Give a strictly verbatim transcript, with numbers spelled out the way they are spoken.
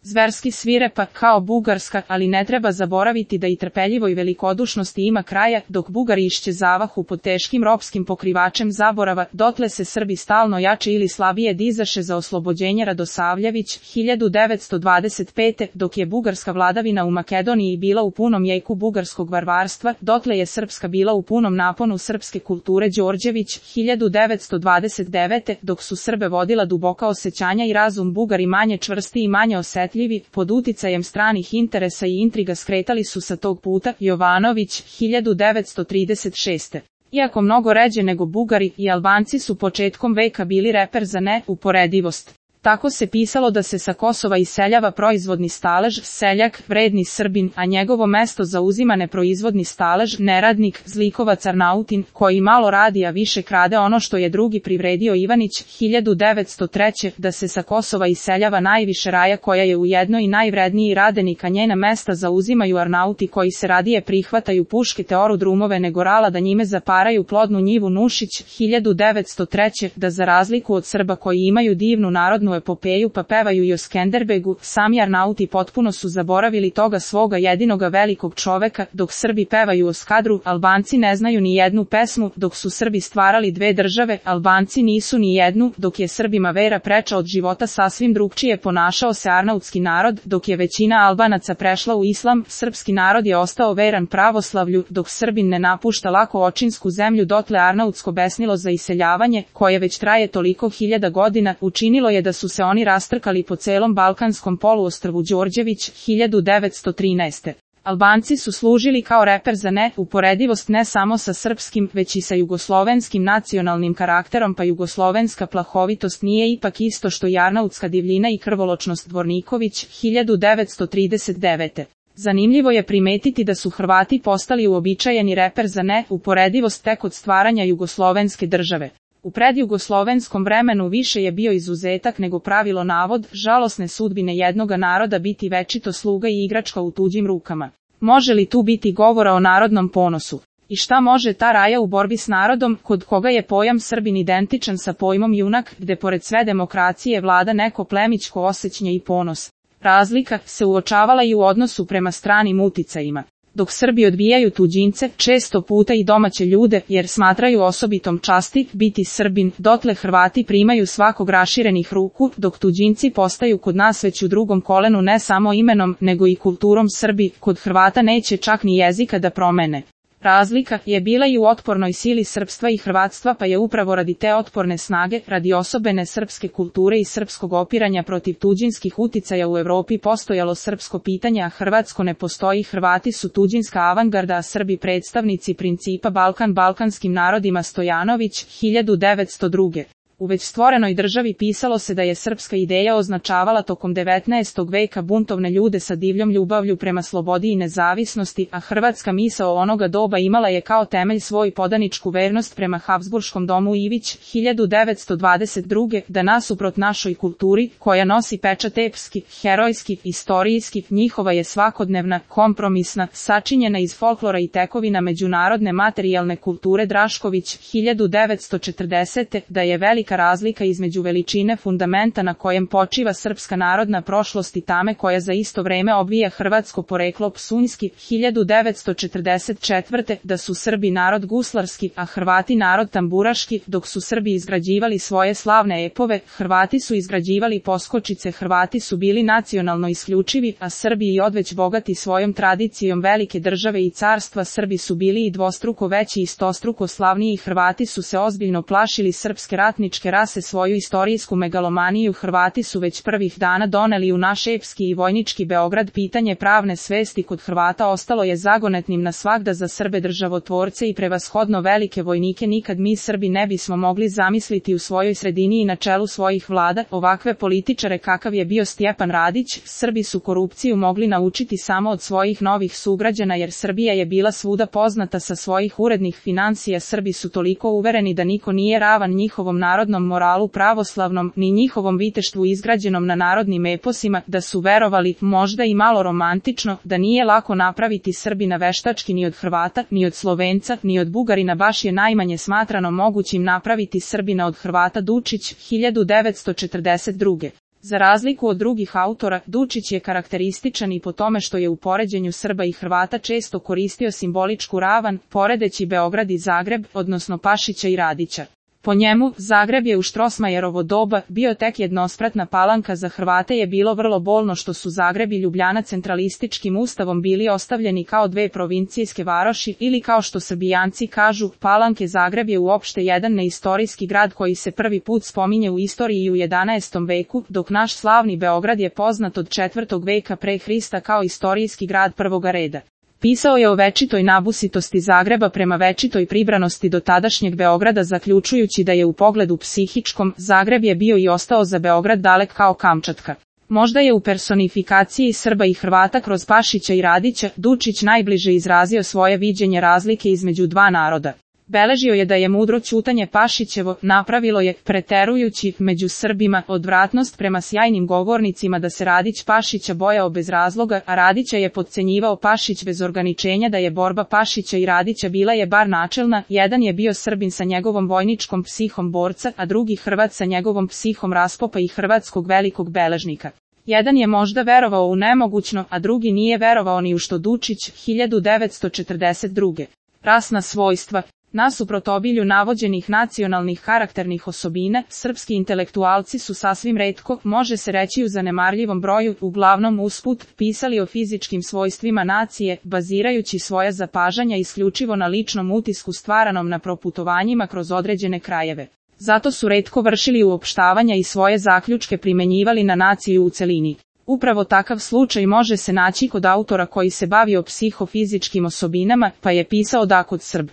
zverski svirepa kao bugarska, ali ne treba zaboraviti da i trpeljivoj velikodušnosti ima kraja, dok Bugari iščezavahu pod teškim ropskim pokrivačem zaborava, dotle se Srbi stalno jače ili slabije dizaše za oslobođenje Radosavljević, hiljadu devetsto dvadeset pete. Dok je bugarska vladavina u Makedoniji bila u punom jeku bugarskog varvarstva, dotle je srpska bila u punom naponu srpske kulture Đorđević, hiljadu devetsto dvadeset devete. Dok su Srbe vodila duboka osjećanja i razum, Bugari manje čvrsti i manje osetljivi, pod uticajem stranih interesa i intriga skretali su sa tog puta. Jovanović, hiljadu devetsto trideset šeste. Iako mnogo ređe nego Bugari, i Albanci su početkom veka bili reper za neuporedivost. Tako se pisalo da se sa Kosova iseljava proizvodni stalež, seljak, vredni Srbin, a njegovo mesto zauzima neproizvodni stalež, neradnik, zlikovac Arnautin, koji malo radi a više krade ono što je drugi privredio. Ivanić, hiljadu devetsto treće. Da se sa Kosova iseljava najviše raja koja je ujedno i najvredniji radenik, a njena mesta zauzimaju Arnauti koji se radije prihvataju puške te oru drumove nego rala da njime zaparaju plodnu njivu. Nušić, hiljadu devetsto treće. Da za razliku od Srba koji imaju divnu narodnu epopeju pa pevaju i o Skenderbegu, sami Arnauti potpuno su zaboravili toga svoga jedinoga velikog čoveka. Dok Srbi pevaju o Skadru, Albanci ne znaju ni jednu pesmu. Dok su Srbi stvarali dve države, Albanci nisu ni jednu. Dok je Srbima vera preča od života, sasvim drugčije ponašao se arnautski narod. Dok je većina Albanaca prešla u islam, srpski narod je ostao veran pravoslavlju. Dok Srbin ne napušta lako očinsku zemlju, dotle arnautsko besnilo za iseljavanje, koje već traje toliko hiljada godina, učinilo je da su se oni rastrkali po celom balkanskom poluostrvu. Đorđević, hiljadu devetsto trinaeste. Albanci su služili kao reper za neuporedivost ne samo sa srpskim, već i sa jugoslovenskim nacionalnim karakterom, pa jugoslovenska plahovitost nije ipak isto što i arnautska divljina i krvoločnost. Dvorniković, hiljadu devetsto trideset devete. Zanimljivo je primetiti da su Hrvati postali uobičajeni reper za neuporedivost tek od stvaranja jugoslovenske države. U predjugoslovenskom vremenu više je bio izuzetak nego pravilo navod žalosne sudbine jednoga naroda biti večito sluga i igračka u tuđim rukama. Može li tu biti govora o narodnom ponosu? I šta može ta raja u borbi s narodom, kod koga je pojam Srbin identičan sa pojmom junak, gde pored sve demokracije vlada neko plemićko osjećanje i ponos? Razlika se uočavala i u odnosu prema stranim uticajima. Dok Srbi odbijaju tuđince, često puta i domaće ljude, jer smatraju osobitom časti biti Srbin, dotle Hrvati primaju svakog raširenih ruku, dok tuđinci postaju kod nas već u drugom kolenu ne samo imenom, nego i kulturom. Srbi kod Hrvata neće čak ni jezika da promene. Razlika je bila i u otpornoj sili srpstva i hrvatstva, pa je upravo radi te otporne snage, radi osobene srpske kulture i srpskog opiranja protiv tuđinskih uticaja u Evropi postojalo srpsko pitanje, a hrvatsko ne postoji. Hrvati su tuđinska avangarda, a Srbi predstavnici principa Balkan balkanskim narodima. Stojanović, hiljadu devetsto druge. U već stvorenoj državi pisalo se da je srpska ideja označavala tokom devetnaestog veka buntovne ljude sa divljom ljubavlju prema slobodi i nezavisnosti, a hrvatska misao onoga doba imala je kao temelj svoj podaničku vernost prema Habsburškom domu. Ivić, hiljadu devetsto dvadeset druge. Da nasuprot našoj kulturi, koja nosi pečat epski, herojski, istorijski, njihova je svakodnevna, kompromisna, sačinjena iz folklora i tekovina međunarodne materijalne kulture. Drašković, hiljadu devetsto četrdesete. Da je velika razlika između veličine fundamenta na kojem počiva srpska narodna prošlost i tame koja za isto vreme obvija hrvatsko poreklo. Psunjski, hiljadu devetsto četrdeset četvrte. Da su Srbi narod guslarski, a Hrvati narod tamburaški. Dok su Srbi izgrađivali svoje slavne epove, Hrvati su izgrađivali poskočice. Hrvati su bili nacionalno isključivi, a Srbi i odveć bogati svojom tradicijom velike države i carstva. Srbi su bili i dvostruko veći i stostruko slavniji. Hrvati su se ozbiljno plašili srpske ratničke rase. Svoju istorijsku megalomaniju Hrvati su već prvih dana doneli u naš epski i vojnički Beograd. Pitanje pravne svesti kod Hrvata ostalo je zagonetnim na svagda. Za Srbe državotvorce i prevashodno velike vojnike nikad mi Srbi ne bismo mogli zamisliti u svojoj sredini i na čelu svojih vlada ovakve političare kakav je bio Stjepan Radić. Srbi su korupciju mogli naučiti samo od svojih novih sugrađana, jer Srbija je bila svuda poznata sa svojih urednih finansija. Srbi su toliko uvereni da niko nije ravan njihovom narodnom moralu pravoslavnom, ni njihovom viteštvu izgrađenom na narodnim eposima, da su verovali, možda i malo romantično, da nije lako napraviti Srbina veštački ni od Hrvata, ni od Slovenca, ni od Bugarina. Baš je najmanje smatrano mogućim napraviti Srbina od Hrvata. Dučić, hiljadu devetsto četrdeset druge. Za razliku od drugih autora, Dučić je karakterističan i po tome što je u poređenju Srba i Hrvata često koristio simboličku ravan, poredeći Beograd i Zagreb, odnosno Pašića i Radića. Po njemu, Zagreb je u Štrosmajerovo doba bio tek jednospratna palanka, za Hrvate je bilo vrlo bolno što su Zagreb i Ljubljana centralističkim ustavom bili ostavljeni kao dve provincijske varoši ili kao što Srbijanci kažu, Palanke. Zagreb je uopšte jedan neistorijski grad koji se prvi put spominje u istoriji u jedanaestom veku, dok naš slavni Beograd je poznat od četvrtog veka pre Hrista kao istorijski grad prvoga reda. Pisao je o večitoj nabusitosti Zagreba prema večitoj pribranosti do tadašnjeg Beograda, zaključujući da je u pogledu psihičkom, Zagreb je bio i ostao za Beograd dalek kao Kamčatka. Možda je u personifikaciji Srba i Hrvata kroz Pašića i Radića, Dučić najbliže izrazio svoje viđenje razlike između dva naroda. Beležio je da je mudro ćutanje Pašićevo napravilo je, preterujući, među Srbima, odvratnost prema sjajnim govornicima, da se Radić Pašića bojao bez razloga, a Radića je podcenjivao Pašić bez ograničenja, da je borba Pašića i Radića bila je bar načelna, jedan je bio Srbin sa njegovom vojničkom psihom borca, a drugi Hrvat sa njegovom psihom raspopa i hrvatskog velikog beležnika. Jedan je možda verovao u nemogućno, a drugi nije verovao ni u što. Dučić, hiljadu devetsto četrdeset druge. Rasna svojstva. Nasuprot obilju navođenih nacionalnih karakternih osobina, srpski intelektualci su sasvim retko, može se reći u zanemarljivom broju, uglavnom usput, pisali o fizičkim svojstvima nacije, bazirajući svoja zapažanja isključivo na ličnom utisku stvaranom na proputovanjima kroz određene krajeve. Zato su retko vršili uopštavanja i svoje zaključke primenjivali na naciju u celini. Upravo takav slučaj može se naći kod autora koji se bavio psihofizičkim osobinama, pa je pisao da kod Srb